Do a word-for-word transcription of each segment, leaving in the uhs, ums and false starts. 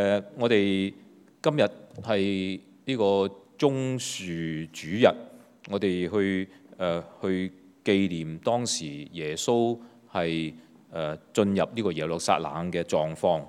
誒，我哋今日係呢個棕樹主日，我哋去誒、呃、去紀念當時耶穌係誒進入呢個耶路撒冷嘅狀況。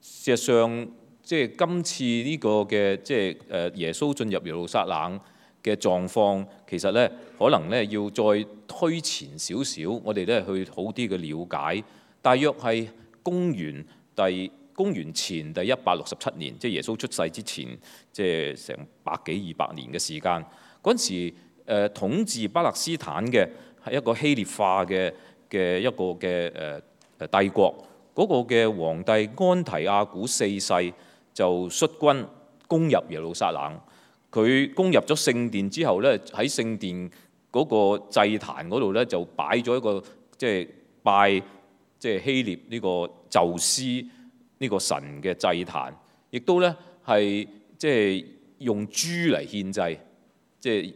事實上，即係今次呢個嘅即係誒耶穌進入耶路撒冷嘅狀況，其實咧可能咧要再推前少少，我哋咧去好啲嘅了解。大約係公元第公元前第一百六十七年，即係耶穌出世之前，即係成百幾二百年嘅時間。嗰陣時，誒統治巴勒斯坦嘅係一個希臘化嘅嘅一個嘅誒誒帝國。嗰、那個嘅皇帝安提亞古四世就率軍攻入耶路撒冷。佢攻入咗聖殿之後咧，喺聖殿嗰個祭壇嗰度咧就擺咗一個即係拜即係希臘呢個宙斯呢個神嘅祭壇，亦都咧係即係用豬嚟獻祭，即係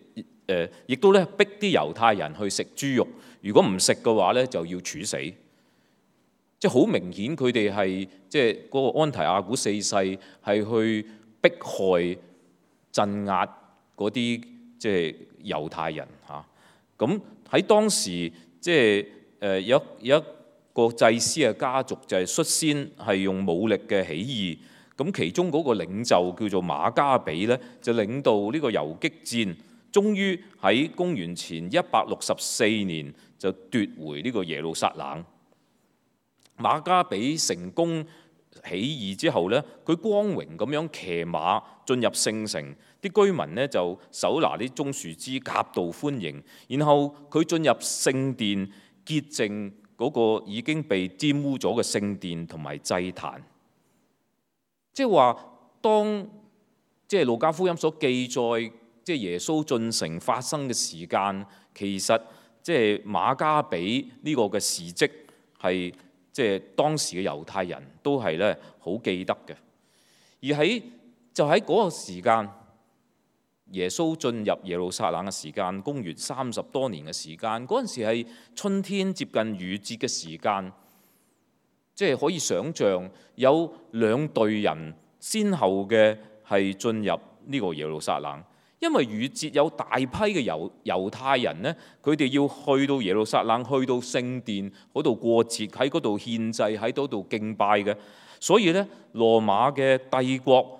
誒，亦都咧逼啲猶太人去食豬肉，如果唔食嘅話咧就要處死。即係好明顯，佢哋係即係嗰個安提亞古四世係去迫害、鎮壓嗰啲即係猶太人嚇。咁喺當時即係誒有有一個祭司嘅家族就係率先係用武力嘅起義。咁其中嗰個領袖叫做馬加比咧，就領導呢個游擊戰，終於喺公元前一百六十四年就奪回呢個耶路撒冷。馬加比成功起義之後呢，佢光榮咁樣騎馬進入聖城，啲居民呢就手拿啲棕樹枝夾道歡迎。然後佢進入聖殿潔淨嗰個已經被玷污咗嘅聖殿同埋祭壇。即係話，當即係路加福音所記載，即係耶穌進城發生嘅時間，其實即係馬加比呢個嘅事蹟係。即係當時嘅猶太人都係咧好記得嘅，而喺就喺嗰個時間，耶穌進入耶路撒冷嘅時間，公元三十多年嘅時間，嗰陣時係春天接近雨節嘅時間，即係可以想像有兩隊人先後嘅係進入呢個耶路撒冷。因為逾節有大批嘅猶猶太人呢，佢哋要去到耶路撒冷，去到聖殿嗰度過節，喺嗰度獻祭，喺嗰度敬拜嘅。所以呢，羅馬嘅帝國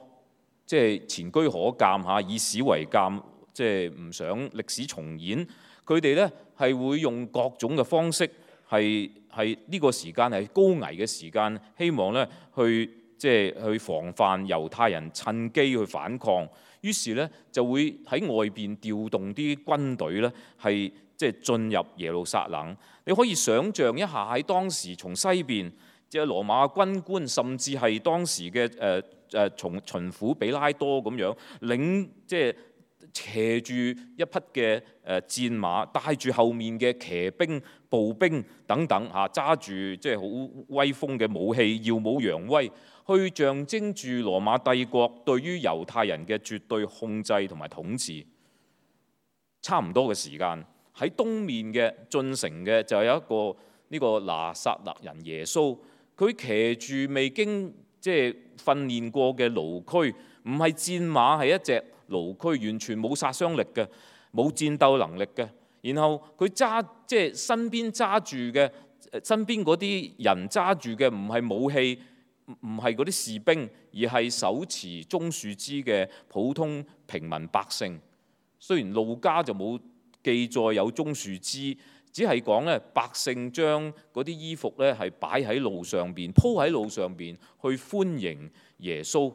即係前車可鑑嚇，以史為鑑，即係唔想歷史重演。佢哋呢係會用各種嘅方式，係係呢個時間係高危嘅時間，希望呢去即係去防範猶太人趁機去反抗。於是咧就會喺外邊調動啲軍隊咧，係即係進入耶路撒冷。你可以想像一下喺當時從西邊，即係羅馬軍官，甚至係當時嘅誒誒從巡撫比拉多咁樣領，即係騎住一匹嘅誒戰馬，帶住後面嘅騎兵、步兵等等嚇，揸住即係好威風嘅武器，耀武揚威，去象徵住羅馬帝國對於猶太人嘅絕對控制同埋統治。差唔多嘅時間喺東面嘅進城嘅就有一個呢個拿撒勒人耶穌，佢騎住未經即係訓練過嘅驢駒，唔係戰馬，係一隻驢駒，完全冇殺傷力嘅，冇戰鬥能力嘅。然後佢揸即係身邊揸住嘅，身邊嗰啲人揸住嘅唔係武器，唔係嗰啲士兵，而係手持棕樹枝嘅普通平民百姓。雖然路加就冇記載有棕樹枝，只係講咧百姓將嗰啲衣服咧係擺喺路上邊，鋪喺路上邊去歡迎耶穌。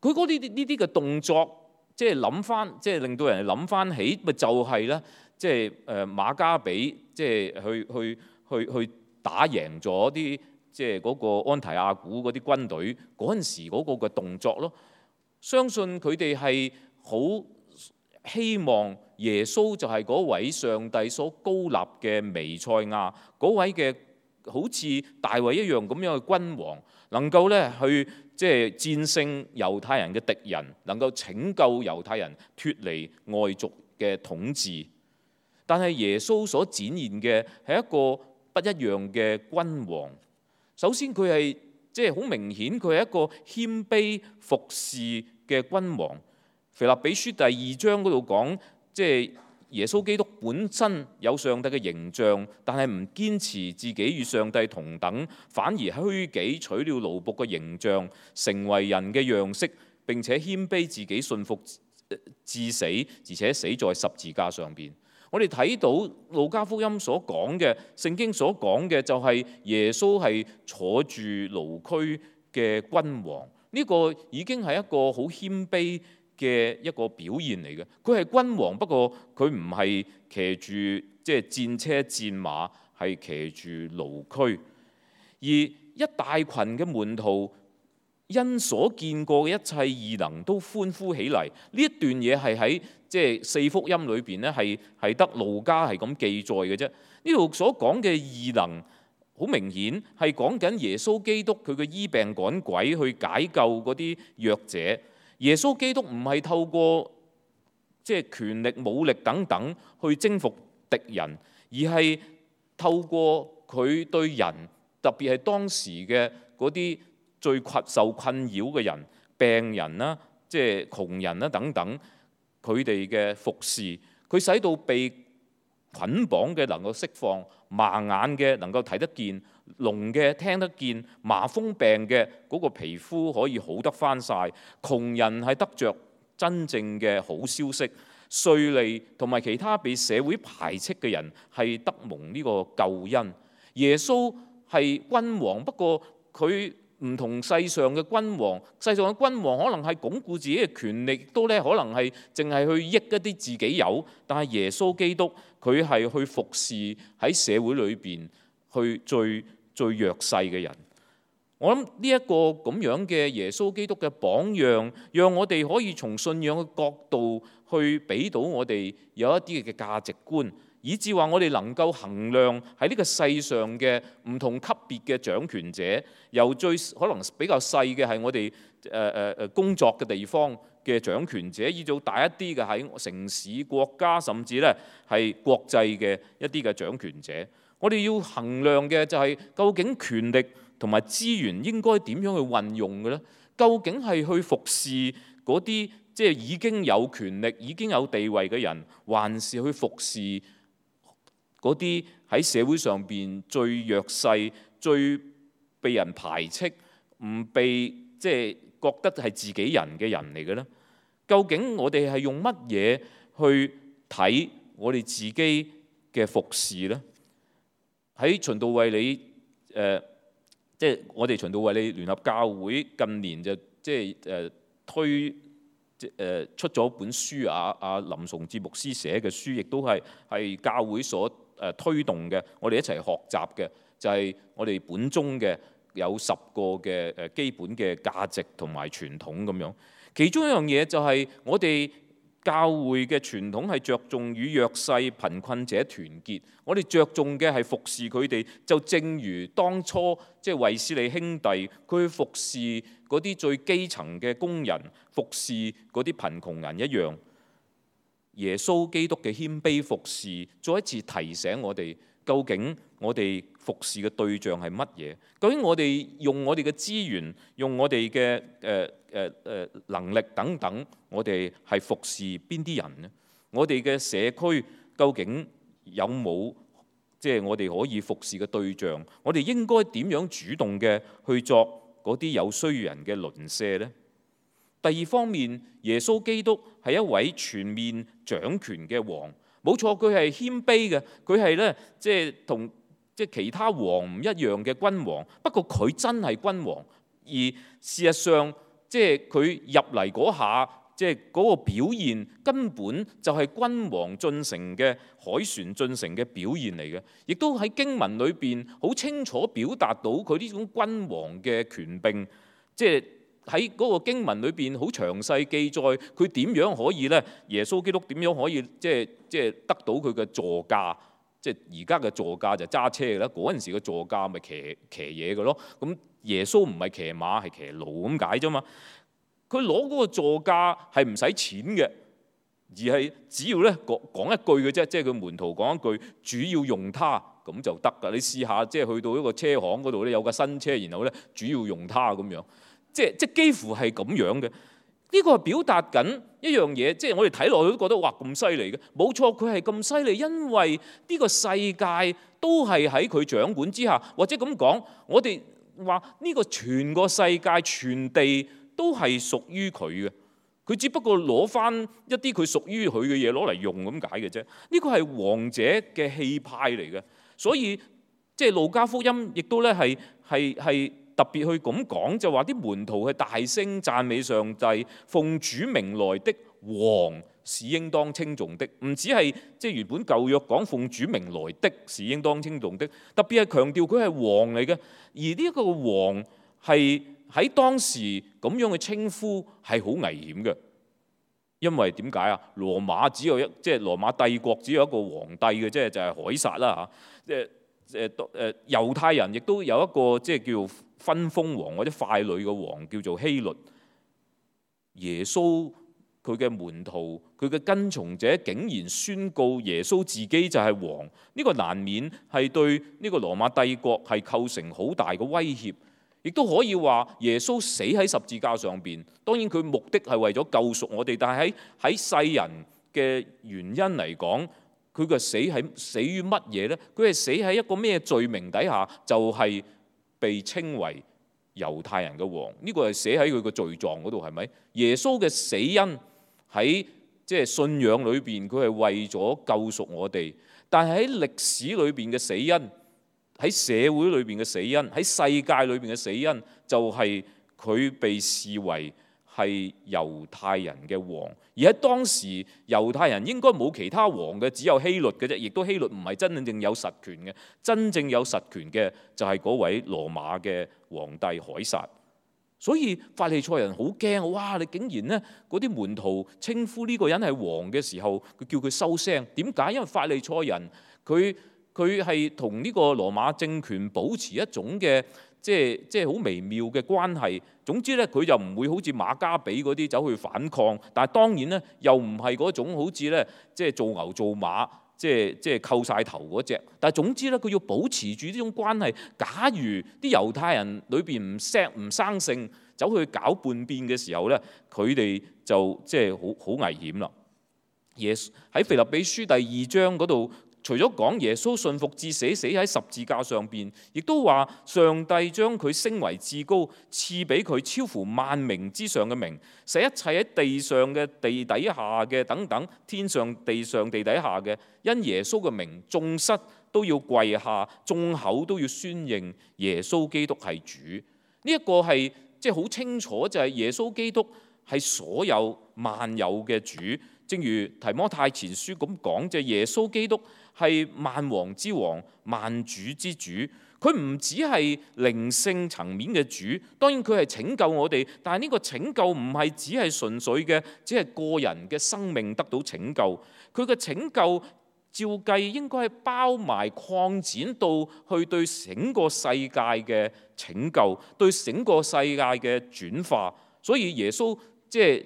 佢嗰啲呢啲嘅動作，即係諗翻，即係令到人哋諗翻起，咪就係咧，即係誒馬加比，即係去去去去打贏咗啲即係嗰個安提亞古嗰啲軍隊嗰陣時嗰個嘅動作咯。相信佢哋係好希望耶穌就係嗰位上帝所高立嘅彌賽亞，嗰位嘅好似大衛一樣咁樣嘅君王，能夠咧去即係戰勝猶太人嘅敵人，能夠拯救猶太人脫離外族嘅統治。但係耶穌所展現嘅係一個不一樣嘅君王。首先佢係即係好明顯佢係一個謙卑服侍嘅君王。腓立比書第二章嗰度講，即係耶穌基督本身有上帝嘅形象，但係唔堅持自己與上帝同等，反而虛己取了奴僕嘅形象，成為人嘅樣式，並且謙卑自己，信服至死，而且死在十字架上邊。我哋睇到路加福音所講嘅，聖經所講嘅就係耶穌係坐住驢駒嘅君王，呢個已經係一個好謙卑嘅一個表現嚟嘅。佢係君王，不過佢唔係騎住即係戰車戰馬，係騎住驢駒。而一大群嘅門徒因所見過嘅一切異能都歡呼起嚟。呢一段嘢係喺即係四福音裏邊咧，係係得路加係咁記載嘅啫。呢度所講嘅異能，好明顯係講緊耶穌基督佢嘅醫病趕鬼，去解救嗰啲弱者。耶穌基督唔係透過即係權力、武力等等去征服敵人，而係透過佢對人，特別係當時嘅嗰啲最困受困擾嘅人、病人啦、即係窮人啦等等，佢哋嘅服侍，佢使到被捆綁嘅能夠釋放，盲眼嘅能夠睇得見，聾嘅聽得見，麻風病嘅嗰個皮膚可以好得返晒，窮人係得着真正嘅好消息，稅吏同埋其他被社會排斥嘅人係得蒙呢個救恩。耶穌係君王，不過佢唔同世上嘅君王，世上嘅君王可能係鞏固自己嘅權力，都咧可能係淨係去益一啲自己有，但係耶穌基督佢係去服侍喺社會裏邊去最最弱勢嘅人。我諗呢一個咁樣嘅耶穌基督嘅榜樣，讓我哋可以從信仰嘅角度去俾到我哋有一啲嘅價值觀，以至話我哋能夠衡量喺呢個世上嘅唔同級別嘅掌權者，由最可能比較細嘅係我哋誒誒誒工作嘅地方嘅掌權者，以到大一啲嘅喺城市、國家，甚至咧係國際嘅一啲嘅掌權者。我哋要衡量嘅就係究竟權力同埋資源應該點樣去運用嘅咧？究竟係去服侍嗰啲即係已經有權力、已經有地位嘅人，還是去服侍嗰啲喺社會上邊最弱勢、最被人排斥、唔被即係覺得係自己人嘅人嚟嘅咧？究竟我哋係用乜嘢去睇我哋自己嘅服侍咧？喺循道衛理誒。呃即係我哋循道衛理聯合教會近年就即係誒推即係誒出咗本書啊，阿林崇智牧師寫嘅書，亦都係係教會所誒推動嘅，我哋一齊學習嘅，就係我哋本宗嘅有十個嘅誒基本嘅價值同埋傳統咁樣。其中一樣嘢就係我哋教會嘅傳統係着重與弱勢貧困者團結，我哋着重嘅係服侍佢哋，就正如當初即係衛斯理兄弟佢去服侍嗰啲最基層嘅工人，服侍嗰啲貧窮人一樣。耶穌基督嘅謙卑服侍，再一次提醒我哋，究竟我哋服侍嘅對象係乜嘢？究竟我哋用我哋嘅資源，用我哋嘅誒誒誒能力等等，我哋係服侍邊啲人呢？我哋嘅社區究竟有冇即係我哋可以服侍嘅對象？我哋應該點樣主動嘅去作嗰啲有需要人嘅鄰舍呢？第二方面，耶穌基督係一位全面掌權嘅王，冇錯，佢係謙卑嘅，佢係咧即係同即係其他王唔一樣嘅君王。不過佢真係君王，而事實上即係佢入嚟嗰下，即係嗰個表現根本就係君王進城嘅凱旋進城嘅表現嚟嘅，亦都喺經文裏邊好清楚表達到佢呢種君王嘅權柄，即係。喺嗰個經文裏邊好詳細記載佢點樣可以咧？耶穌基督點樣可以即係即係得到佢嘅座駕？即係而家嘅座駕就揸車嘅啦，嗰陣時嘅座駕咪騎騎嘢嘅咯。咁耶穌唔係騎馬，係騎驢咁解啫嘛。佢攞嗰個座駕係唔使錢嘅，而係只要咧講講一句嘅啫，即係佢門徒講一句，主要用它，咁咁就得㗎。你試下即係去到一個車行嗰度咧，有架新車，然後咧主要用它咁樣，即係即係幾乎係咁樣嘅。呢個係表達緊一樣嘢，即係我哋睇落去都覺得哇咁犀利嘅。冇錯，佢係咁犀利，因為呢個世界都係喺佢掌管之下，或者咁講，我哋話呢個全個世界全地都係屬於佢嘅。佢只不過攞翻一啲佢屬於佢嘅嘢攞嚟用咁解嘅啫。呢個係王者嘅氣派嚟嘅，所以即係路加福音亦都咧係係係。特別去咁講，就話啲門徒係大聲讚美上帝，奉主名來的王是應當稱頌的。唔止係即係原本舊約講奉主名來的是應當稱頌的，特別係強調佢係王嚟嘅。而呢一個王係喺當時咁樣嘅稱呼係好危險嘅，因為點解啊？羅馬只有一即係羅馬帝國只有一個皇帝嘅啫，就係凱撒啦嚇。即係誒誒猶太人亦都有一個即係叫分封王或者傀儡嘅王，叫做希律。耶穌佢嘅門徒佢嘅跟從者竟然宣告耶穌自己就係王，呢、這個難免係對呢個羅馬帝國係構成好大嘅威脅，亦都可以話耶穌死喺十字架上邊。當然佢目的係為咗救贖我哋，但係喺喺世人嘅原因嚟講，佢嘅死係死於乜嘢呢？佢係死喺一個咩罪名底下？就係、是、被稱為猶太人嘅王。呢、這個係寫喺佢個罪狀嗰度，係咪？耶穌嘅死因喺即係信仰裏邊，佢係為咗救贖我哋。但係喺歷史裏邊嘅死因，喺社會裏邊嘅死因，喺世界裏邊嘅死因，就係、是、佢被視為係猶太人嘅王。而喺當時猶太人應該冇其他王嘅，只有希律嘅啫。亦都希律唔係真正有實權嘅，真正有實權嘅就係嗰位羅馬嘅皇帝凱撒。所以法利賽人好驚，哇！你竟然呢嗰啲門徒稱呼呢個人係王嘅時候，佢叫佢收聲。點解？因為法利賽人佢佢係同呢個羅馬政權保持一種嘅即係即係好微妙嘅關係。總之咧，佢就唔會好似馬加比嗰啲走去反抗，但係當然咧，又唔係嗰種好似咧即係做牛做馬，即係即係扣晒頭嗰隻。但係總之咧，佢要保持住呢種關係。假如啲猶太人裏邊唔錫唔生性，走去搞叛變嘅時候咧，佢哋就即係好好危險啦。耶穌喺腓立比書第二章嗰度，除咗講耶穌信服至死，死喺十字架上邊，亦都話上帝將佢升為至高，賜俾佢超乎萬名之上嘅名，使一切喺地上嘅、地底下嘅等等，天上、地上、地底下嘅，因耶穌嘅名，眾膝都要跪下，眾口都要宣認耶穌基督係主。呢、這、一個係即係好清楚，就係耶穌基督係所有萬有嘅主。正如提摩太前書咁講，就係耶穌基督係萬王之王、萬主之主。佢唔只係靈性層面嘅主，當然佢係拯救我哋，但係呢個拯救唔係只係純粹嘅，只係個人嘅生命得到拯救。佢嘅拯救照計應該係包埋擴展到去對整個世界嘅拯救，對整個世界嘅轉化。所以耶穌即係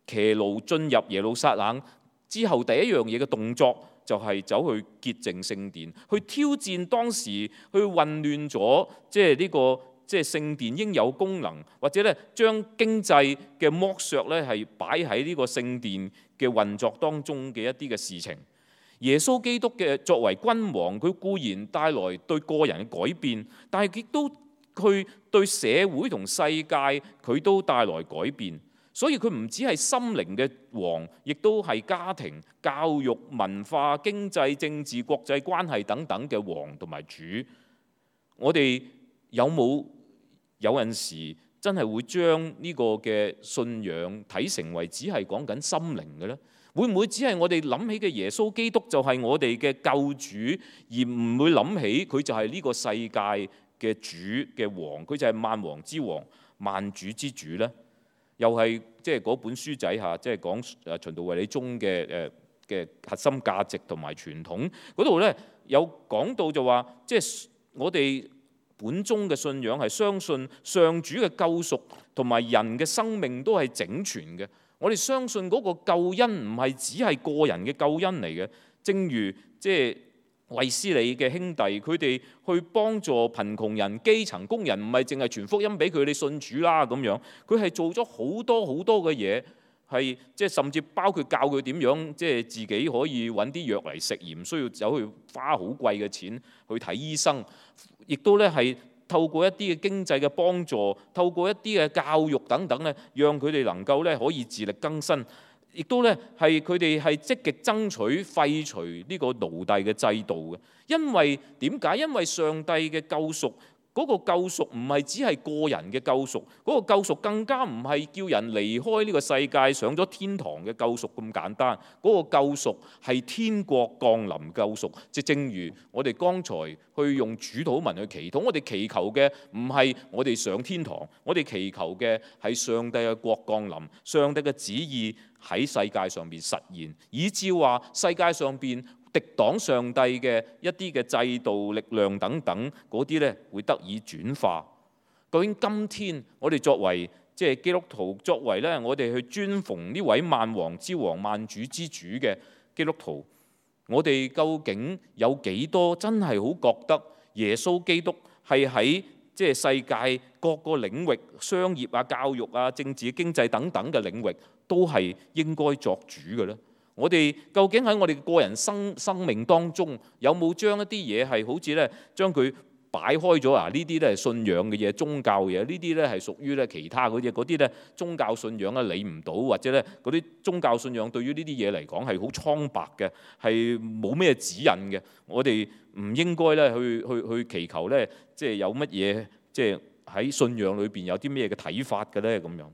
騎驢進入耶路撒冷之後，第一樣嘢嘅動作就係走去潔淨聖殿，去挑戰當時去混亂咗即係呢個即係聖殿應有功能，或者咧將經濟嘅剝削咧係擺喺呢個聖殿嘅運作當中嘅一啲嘅事情。耶穌基督嘅作為君王，佢固然帶來對個人嘅改變，但係亦都佢對社會同世界佢都帶來改變。所以佢唔只係心靈嘅王，亦都係家庭、教育、文化、經濟、政治、國際關係等等嘅王同埋主。我哋有冇有陣時真係會將呢個嘅信仰睇成為只係講緊心靈嘅呢？會唔會只係我哋諗起嘅耶穌基督就係我哋嘅救主，而唔會諗起佢就係呢個世界嘅主嘅王，佢就係萬王之王、萬主之主呢？又係即係嗰本書仔嚇，即係講誒循道衛理宗嘅誒嘅核心價值同埋傳統嗰度咧，有講到就話，即係我哋本宗嘅信仰係相信上主嘅救贖同埋人嘅生命都係整全嘅。我哋相信嗰個救恩唔係只係個人嘅救恩嚟嘅，正如即係衛斯理嘅兄弟，佢哋去幫助貧窮人、基層工人，唔係淨係傳福音俾佢哋信主啦咁樣，佢係做咗好多好多嘅嘢，係即係甚至包括教佢點樣即係自己可以揾啲藥嚟食，而唔需要走去花好貴嘅錢去睇醫生，亦都咧係透過一啲嘅經濟嘅幫助，透過一啲嘅教育等等咧，讓佢哋能夠咧可以自力更生。亦都咧係佢哋係積極爭取廢除呢個奴隸嘅制度嘅，因為點解？因為上帝嘅救贖，嗰個救贖唔係只係個人嘅救贖，嗰個救贖更加唔係叫人離開呢個世界上咗天堂嘅救贖咁簡單，嗰個救贖係天國降臨救贖。即正如我哋剛才去用主禱文去祈禱，我哋祈求嘅唔係我哋上天堂，我哋祈求嘅係上帝嘅國降臨，上帝嘅旨意喺世界上邊實現，以至話世界上邊敵擋上帝嘅一啲嘅制度、力量等等嗰啲咧，會得以轉化。究竟今天我哋作為即係基督徒，作為咧我哋去尊奉呢位萬王之王、萬主之主嘅基督徒，我哋究竟有幾多真係好覺得耶穌基督係喺即係世界各個領域、商業啊、教育啊、政治、經濟等等嘅領域，都係應該作主嘅咧？我哋究竟喺我哋個人生生命當中，有冇將一啲嘢係好似咧將佢擺開咗啊？呢啲咧係信仰嘅嘢、宗教嘅嘢，呢啲咧係屬於咧其他嗰啲，嗰啲咧宗教信仰啊理唔到，或者咧嗰啲宗教信仰對於呢啲嘢嚟講係好蒼白嘅，係冇咩指引嘅。我哋唔應該咧去去去祈求咧，即係有乜嘢，即係喺信仰裏邊有啲咩嘅睇法嘅咧咁樣。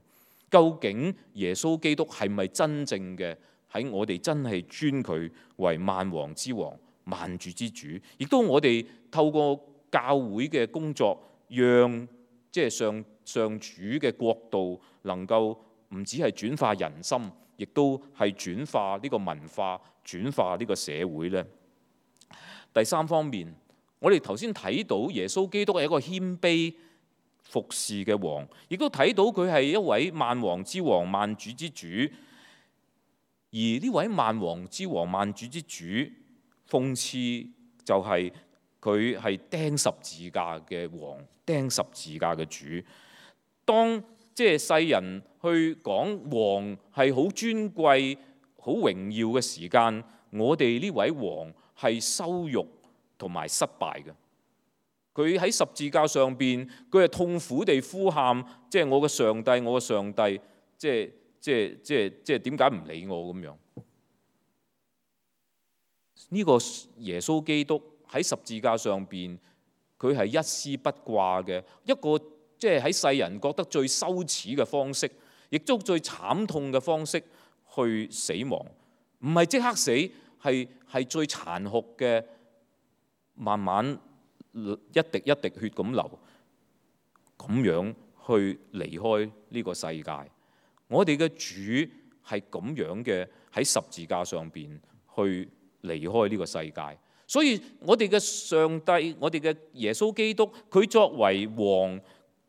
究竟耶穌基督係咪真正嘅喺我哋真係尊佢為萬王之王、萬主之主？亦都我哋透過教會嘅工作，讓即係上上主嘅國度能夠唔止係轉化人心，亦都係轉化呢個文化、轉化呢個社會呢。第三方面，我哋頭先睇到耶穌基督係一個謙卑服侍嘅王，亦都睇到佢係一位萬王之王、萬主之主。而呢位萬王之王、萬主之主，諷刺就係佢係釘十字架嘅王、釘十字架嘅主。當即係世人去講王係好尊貴、好榮耀嘅時間，我哋呢位王係羞辱同埋失敗嘅。佢喺十字架上邊，佢係痛苦地呼喊，即係我嘅上帝，我嘅上帝，即係即係即係即係點解唔理我咁樣？呢個耶穌基督喺十字架上邊，佢係一絲不掛嘅一個，即係喺世人覺得最羞恥嘅方式，亦都最慘痛嘅方式去死亡，唔係即刻死，係係最殘酷嘅，慢慢一滴一滴血咁流，咁樣去離開呢個世界。我哋嘅主係咁樣嘅喺十字架上邊去離開呢個世界。所以我哋嘅上帝，我哋嘅耶穌基督，佢作為王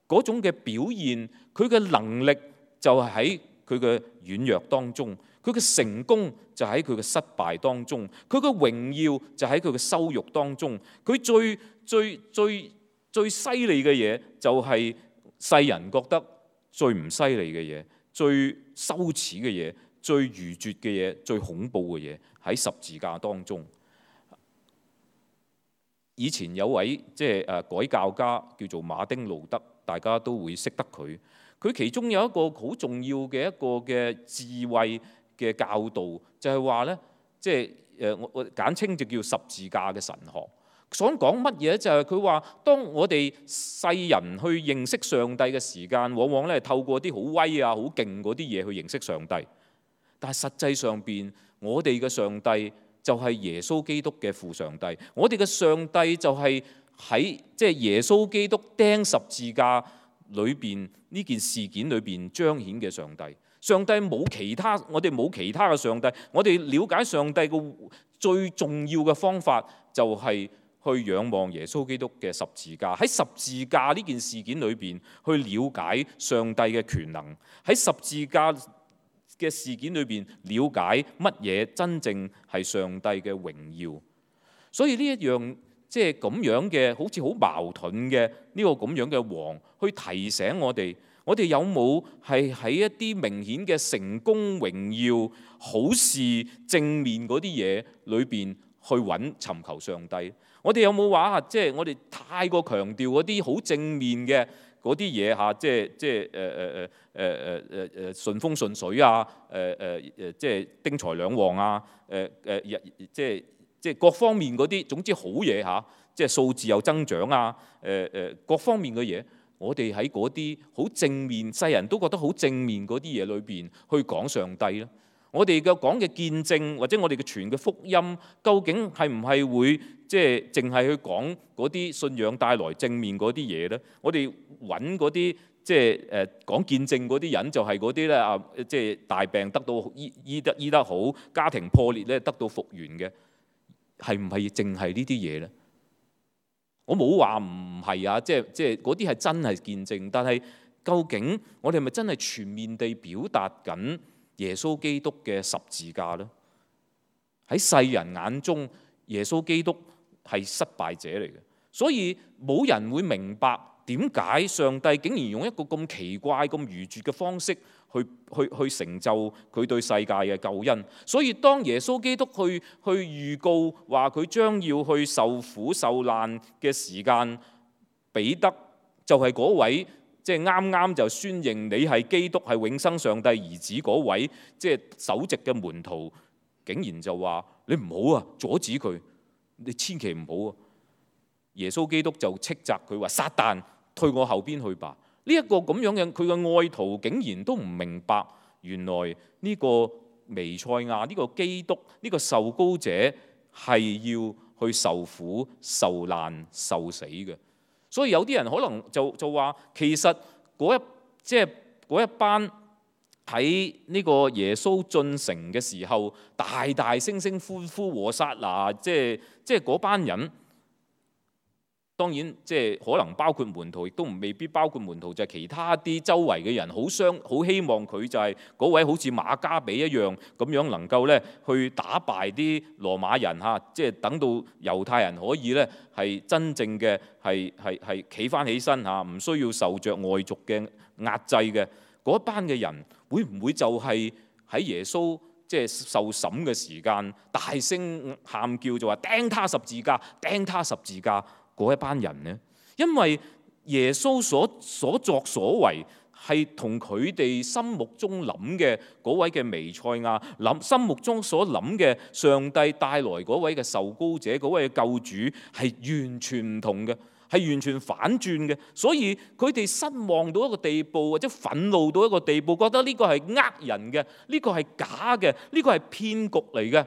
嗰種嘅表現，佢嘅能力就係喺佢嘅軟弱當中，佢嘅成功就喺佢嘅失敗當中，佢嘅榮耀就喺佢嘅羞辱當中。佢最最最最犀利嘅嘢就係世人覺得最唔犀利嘅嘢、最羞恥嘅嘢、最愚拙嘅嘢、最恐怖嘅嘢喺十字架當中。以前有位即係誒改教家叫做馬丁路德，大家都會識得佢。佢其中有一個好重要嘅一個嘅智慧嘅教導，就係話咧，即係誒我我簡稱就叫十字架嘅神學。想講乜嘢？就係佢話，當我哋世人去認識上帝嘅時間，往往咧透過啲好威啊、好勁嗰啲嘢去認識上帝。但係實際上邊，我哋嘅上帝就係耶穌基督嘅父上帝。我哋嘅上帝就係喺即係耶穌基督釘十字架裏邊呢件事件裏邊彰顯嘅上帝。上帝冇其他，我哋冇其他嘅上帝。我哋了解上帝嘅最重要嘅方法就係去仰望耶穌基督嘅十字架。喺十字架呢件事件裏邊去了解上帝嘅權能。喺十字架嘅事件裏邊了解乜嘢真正係上帝嘅榮耀。所以呢一樣即係咁樣嘅，好似好矛盾嘅呢個咁樣嘅王，去提醒我哋，我哋有冇係喺一啲明顯嘅成功、榮耀、好事、正面嗰啲嘢裏邊去揾尋求上帝？我哋有冇話啊？即係我哋太過強調嗰啲好正面嘅嗰啲嘢嚇，即係即係誒誒誒誒誒誒誒順風順水啊，誒誒誒即係丁財兩旺啊，誒誒即係即係各方面嗰啲，總之好嘢嚇，即係數字又增長啊，誒誒各方面嘅嘢，我哋喺嗰啲好正面，世人都覺得好正面嗰啲嘢裏邊去講上帝咧。我哋嘅講嘅見證或者我哋嘅傳嘅福音，究竟係唔係會即係淨係去講嗰啲信仰帶來正面嗰啲嘢咧？我哋揾嗰啲即係誒講見證嗰啲人，就係嗰啲咧啊，即係大病得到醫醫得醫得好，家庭破裂咧得到復原嘅，係唔係淨係呢啲嘢咧？我冇話唔係啊，即係即係嗰啲係真係見證，但係究竟我哋係咪真係全面地表達緊耶穌基督嘅十字架呢？喺世人眼中，耶穌基督係失敗者嚟嘅，所以冇人會明白點解上帝竟然用一個咁奇怪、咁愚拙嘅方式去去去成就佢對世界嘅救恩。所以當耶穌基督去去預告話佢將要去受苦受難嘅時間，彼得就係嗰位。即係啱啱就宣認你係基督係永生上帝兒子嗰位，即係首席嘅門徒，竟然就話你唔好啊，阻止佢，你千祈唔好啊！耶穌基督就斥責佢話：撒旦，退我後邊去吧！呢一個咁樣嘅佢嘅愛徒，竟然都唔明白，原來呢個彌賽亞呢個基督呢個受膏者係要去受苦受難受死嘅。所以有啲人可能就就話，其實嗰一即係嗰一班喺呢個耶穌進城嘅時候，大大聲聲歡呼和撒那，即係即係嗰班人。當然即係可能包括門徒，亦都唔未必包括門徒，就係其他啲周圍嘅人，好相好希望佢就係嗰位好似馬加比一樣咁樣能夠咧去打敗啲羅馬人嚇，即係等到猶太人可以咧係真正嘅係係係企翻起身嚇，唔需要受着外族嘅壓制嘅嗰班嘅人，會唔會就係喺耶穌即係受審嘅時間大聲喊叫就話釘他十字架，釘他十字架？嗰一班人呢？因為耶穌所所作所為係同佢哋心目中諗嘅嗰位嘅彌賽亞諗心目中所諗嘅上帝帶來嗰位嘅受膏者嗰位嘅救主係完全唔同嘅，係完全反轉嘅。所以佢哋失望到一個地步，或者憤怒到一個地步，覺得呢個係呃人嘅，呢個係假嘅，呢個係騙局嚟嘅。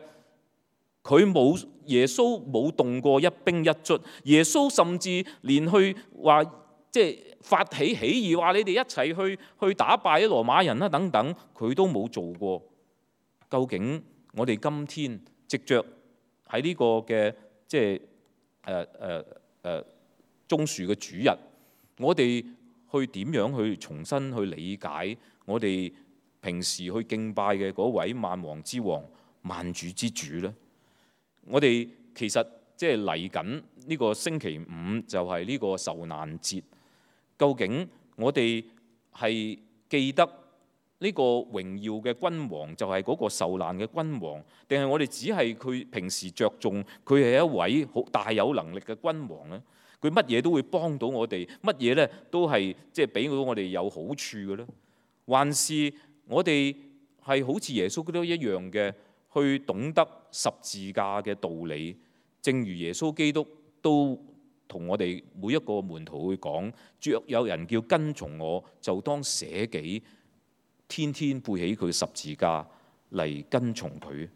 佢冇耶穌冇動過一兵一卒，耶穌甚至連去話即係發起起義，話你哋一齊去去打敗啲羅馬人啦等等，佢都冇做過。究竟我哋今天藉着喺呢個嘅即係誒誒誒棕樹嘅主日，我哋去點樣去重新去理解我哋平時去敬拜嘅嗰位萬王之王、萬主之主呢？我哋其實即係嚟緊呢個星期五就係呢個受難節，究竟我哋係記得呢個榮耀嘅君王就係嗰個受難嘅君王，定係我哋只係佢平時着重佢係一位好大有能力嘅君王呢？佢乜嘢都會幫到我哋，乜嘢呢都係即係俾到我哋有好處嘅呢？還是我哋係好似耶穌基督一樣嘅？去懂得十字架嘅道理，正如耶穌基督都同我哋每一個門徒去講：若有人叫跟從我，就當捨己，天天背起佢十字架嚟跟從佢。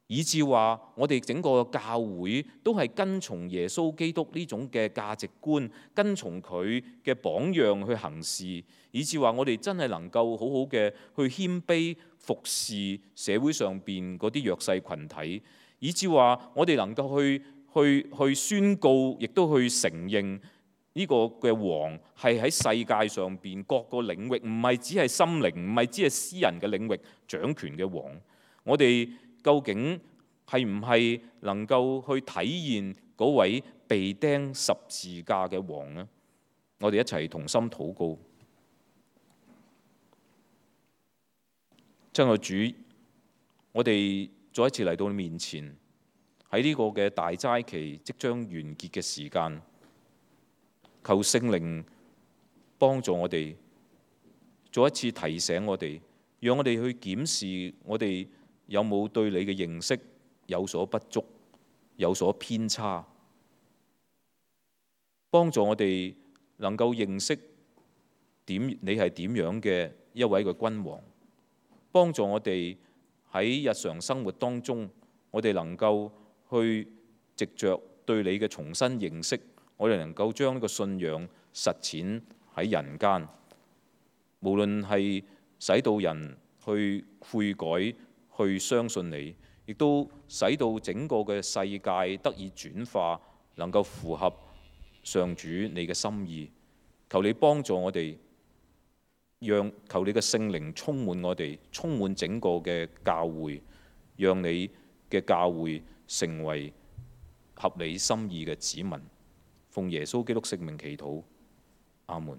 以至話我哋整個教會都係跟從耶穌基督呢種嘅價值觀，跟從佢嘅榜樣去行事，以至話我哋真係能夠好好嘅去謙卑服侍社會上邊嗰啲弱勢群體，以至話我哋能夠去去去宣告，亦都去承認呢個嘅王係喺世界上邊各個領域，唔係只係心靈，唔係只係私人嘅領域掌權嘅王。我哋究竟係唔係能夠去體現嗰位被釘十字架嘅王呢？我哋一齊同心禱告。親愛主，我哋再一次嚟到你面前，喺呢個嘅大齋期即將完結嘅時間，求聖靈幫助我哋，再一次提醒我哋，讓我哋去檢視我哋有冇對你嘅認識有所不足、有所偏差，幫助我哋能夠認識點你係點樣嘅一位嘅君王，幫助我哋喺日常生活當中，我哋能夠去藉着對你嘅重新認識，我哋能夠將呢個信仰實踐喺人間，無論係使到人去悔改、去相信你，亦都使到整個嘅世界得以轉化，能夠符合上主你嘅心意。求你幫助我哋，讓求你嘅聖靈充滿我哋，充滿整個嘅教會，讓你嘅教會成為合你心意嘅子民。奉耶穌基督聖名祈禱，阿門。